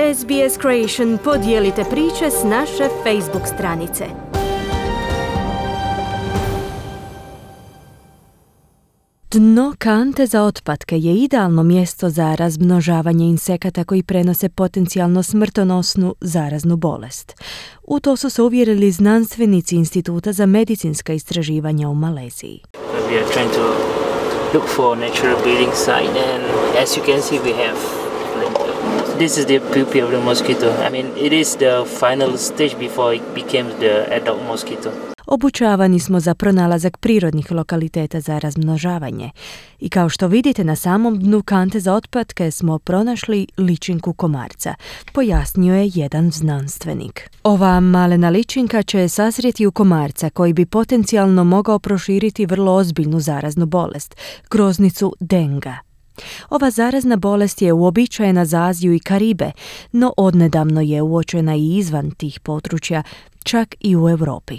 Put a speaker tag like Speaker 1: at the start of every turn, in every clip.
Speaker 1: SBS Creation, podijelite priče s naše Facebook stranice. Dno kante za otpatke je idealno mjesto za razmnožavanje insekata koji prenose potencijalno smrtonosnu zaraznu bolest. U to su se uvjerili znanstvenici Instituta za medicinska istraživanja u Maleziji.
Speaker 2: We are trying to look for natural breeding site, and as you can see we have this is the pupae of the mosquito. I mean, it is the final stage before it becomes the adult mosquito.
Speaker 1: Obučavani smo za pronalazak prirodnih lokaliteta za razmnožavanje i kao što vidite na samom dnu kante za otpatke smo pronašli ličinku komarca, pojasnio je jedan znanstvenik. Ova malena ličinka će sazrijeti u komarca koji bi potencijalno mogao proširiti vrlo ozbiljnu zaraznu bolest, groznicu denga. Ova zarazna bolest je uobičajena za Aziju i Karibe, no odnedavno je uočena i izvan tih područja, čak i u Europi.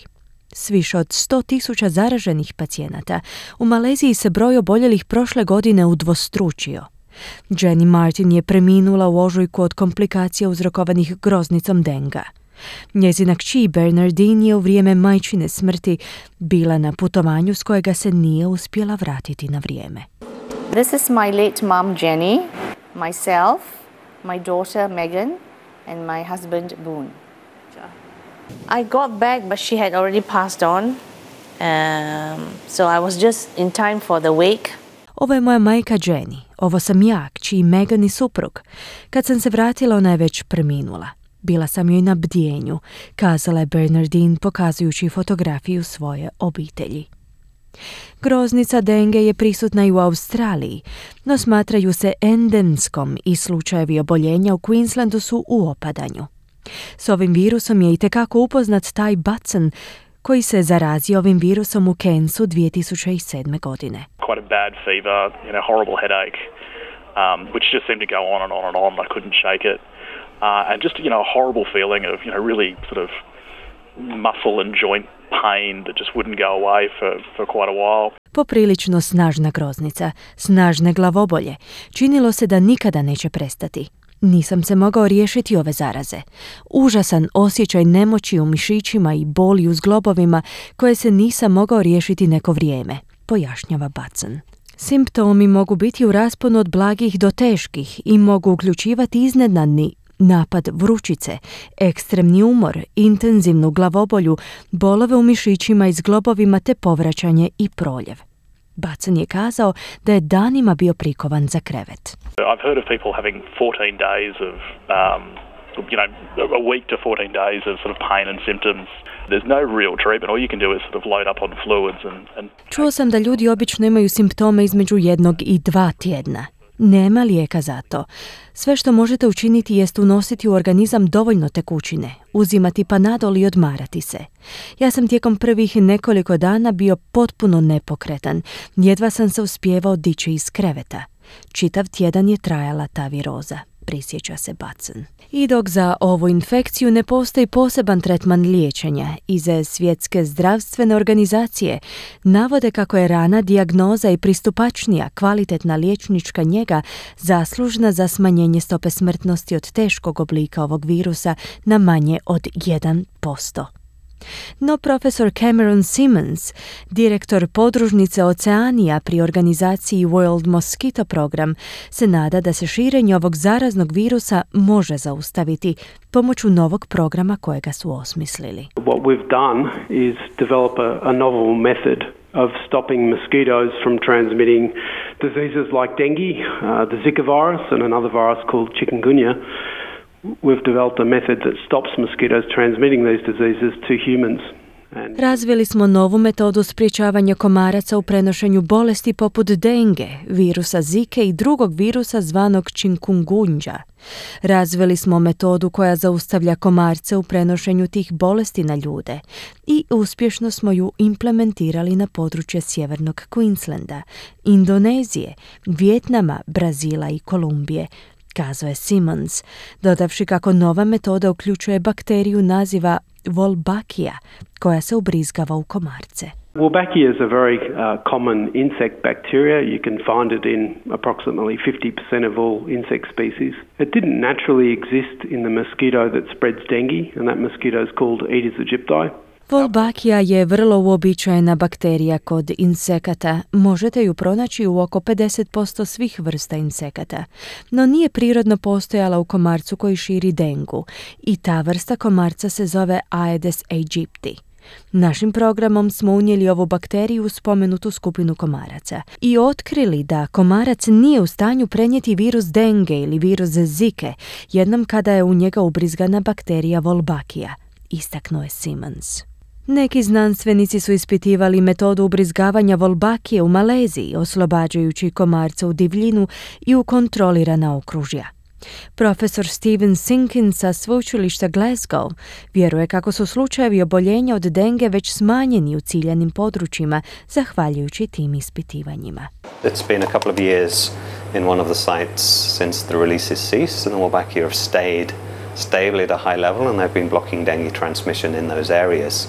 Speaker 1: S više od 100.000 zaraženih pacijenata, u Maleziji se broj oboljelih prošle godine udvostručio. Jenny Martin je preminula u ožujku od komplikacija uzrokovanih groznicom denga. Njezina kći Bernardine je u vrijeme majčine smrti bila na putovanju s kojega se nije uspjela vratiti na vrijeme.
Speaker 3: This is my late mom Jenny, myself, my daughter Megan and my husband Boone. I got back, but she had already passed on, so I was just in time for the wake.
Speaker 1: Ovo je moja majka Jenny, ovo sam ja, kći Megan i suprug. Kad sam se vratila, ona je već preminula. Bila sam joj na bdjenju, kazala je Bernardine pokazujući fotografiju svoje obitelji. Groznica denge je prisutna i u Australiji, no smatraju se endemskom i slučajevi oboljenja u Queenslandu su u opadanju. S ovim virusom je itekako upoznat Ty Batson, koji se zarazio ovim virusom u Cairnsu 2007. godine.
Speaker 4: Quite a bad fever, horrible headache, which just seemed to go on and on and on. I couldn't shake it. And just, a horrible feeling of, really sort of muscle and joint pain that just wouldn't go away for quite a while.
Speaker 1: Poprilično snažna groznica, snažne glavobolje. Činilo se da nikada neće prestati. Nisam se mogao riješiti ove zaraze. Užasan osjećaj nemoći u mišićima i boli u zglobovima koje se nisam mogao riješiti neko vrijeme, pojašnjava Batson. Simptomi mogu biti u rasponu od blagih do teških i mogu uključivati iznenadni napad vrućice, ekstremni umor, intenzivnu glavobolju, bolove u mišićima i zglobovima te povraćanje i proljev. Batson je kazao da je danima bio prikovan za krevet.
Speaker 4: I've heard of people having 14 days of, a week to 14 days of sort of pain and symptoms. There's no real treatment. All you can do is sort of load up on fluids and...
Speaker 1: Čuo sam da ljudi obično imaju simptome između 1 i 2 tjedna. Nema lijeka za to. Sve što možete učiniti jest unositi u organizam dovoljno tekućine, uzimati Panadol i odmarati se. Ja sam tijekom prvih nekoliko dana bio potpuno nepokretan. Jedva sam se uspijevao dići iz kreveta. Čitav tjedan je trajala ta viroza, prisjeća se Batson. I dok za ovu infekciju ne postoji poseban tretman liječenja, iz Svjetske zdravstvene organizacije navode kako je rana dijagnoza i pristupačnija kvalitetna liječnička njega zaslužna za smanjenje stope smrtnosti od teškog oblika ovog virusa na manje od 1%. No profesor Cameron Simmons, direktor podružnice Oceanija pri organizaciji World Mosquito Program, se nada da se širenje ovog zaraznog virusa može zaustaviti pomoću novog programa kojega su osmislili.
Speaker 5: What we've done is develop a novel method of stopping mosquitoes from transmitting diseases like dengue, the Zika virus and another virus called chikungunya. We've developed a method that stops mosquitoes transmitting these diseases to humans.
Speaker 1: Razvili smo novu metodu sprječavanja komaraca u prenošenju bolesti poput denge, virusa Zike i drugog virusa zvanog chikungunya. Razvili smo metodu koja zaustavlja komarce u prenošenju tih bolesti na ljude i uspješno smo ju implementirali na područje sjevernog Queenslanda, Indonezije, Vijetnama, Brazila i Kolumbije, kazao je Simmons, dodavši kako nova metoda uključuje bakteriju naziva Wolbachia, koja se ubrizgava u komarce.
Speaker 5: Wolbachia is a very common insect bacteria. You can find it in approximately 50% of all insect species. It didn't naturally exist in the mosquito that spreads dengue, and that mosquito is called Aedes aegypti.
Speaker 1: Wolbachia je vrlo uobičajena bakterija kod insekata. Možete ju pronaći u oko 50% svih vrsta insekata. No nije prirodno postojala u komarcu koji širi dengu. I ta vrsta komarca se zove Aedes aegypti. Našim programom smo unijeli ovu bakteriju u spomenutu skupinu komaraca i otkrili da komarac nije u stanju prenijeti virus denge ili virus zike jednom kada je u njega ubrizgana bakterija Wolbachia, istaknuo je Simmons. Neki znanstvenici su ispitivali metodu ubrizgavanja Wolbachije u Maleziji, oslobađajući komarca u divljinu i u kontrolirana okružja. Profesor Stephen Sinkins sa sveučilišta Glasgow vjeruje kako su slučajevi oboljenja od denge već smanjeni u ciljanim područjima zahvaljujući tim ispitivanjima.
Speaker 6: It's been a couple of years in one of the sites since the releases ceased and the Wolbachia have stayed stably at a high level and they've been blocking dengue transmission in those areas.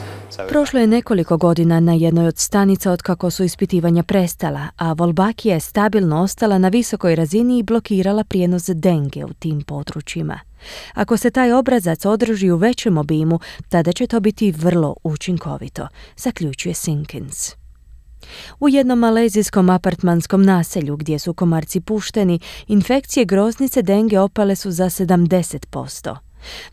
Speaker 1: Prošlo je nekoliko godina na jednoj od stanica otkako su ispitivanja prestala, a Wolbachia je stabilno ostala na visokoj razini i blokirala prijenos denge u tim područjima. Ako se taj obrazac održi u većem obimu, tada će to biti vrlo učinkovito, zaključuje Sinkins. U jednom malezijskom apartmanskom naselju gdje su komarci pušteni, infekcije groznice denge opale su za 70%.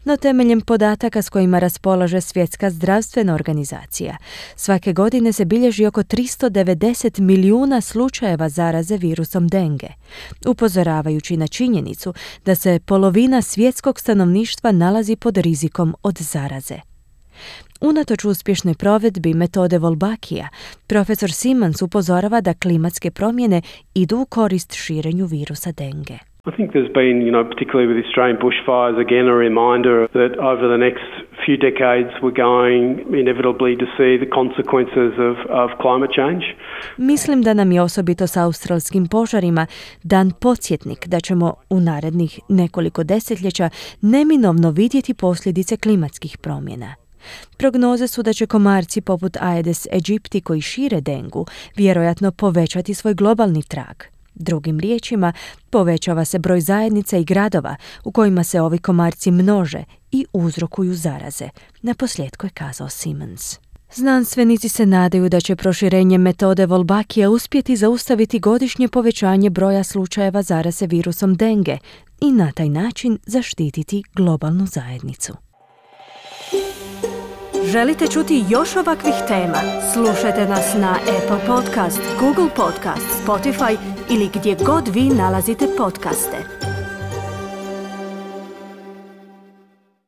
Speaker 1: No temeljem podataka s kojima raspolaže Svjetska zdravstvena organizacija, svake godine se bilježi oko 390 milijuna slučajeva zaraze virusom denge, upozoravajući na činjenicu da se polovina svjetskog stanovništva nalazi pod rizikom od zaraze. Unatoč uspješnoj provedbi metode Wolbachia, profesor Simmons upozorava da klimatske promjene idu u korist širenju virusa denge.
Speaker 5: I think there's been, particularly with Australian bushfires, again a reminder that over the next few decades we're going inevitably to see the consequences of climate change.
Speaker 1: Mislim da nam je osobito s australskim požarima dan podsjetnik da ćemo u narednih nekoliko desetljeća neminovno vidjeti posljedice klimatskih promjena. Prognoze su da će komarci poput Aedes aegypti koji šire dengu vjerojatno povećati svoj globalni trag. Drugim riječima, povećava se broj zajednica i gradova u kojima se ovi komarci množe i uzrokuju zaraze, naposljetku je kazao Simmons. Znanstvenici se nadaju da će proširenje metode Wolbachia uspjeti zaustaviti godišnje povećanje broja slučajeva zaraze virusom denge i na taj način zaštititi globalnu zajednicu. Želite čuti još ovakvih tema? Slušajte nas na Apple Podcast, Google Podcast, Spotify ili gdje god vi nalazite podcaste.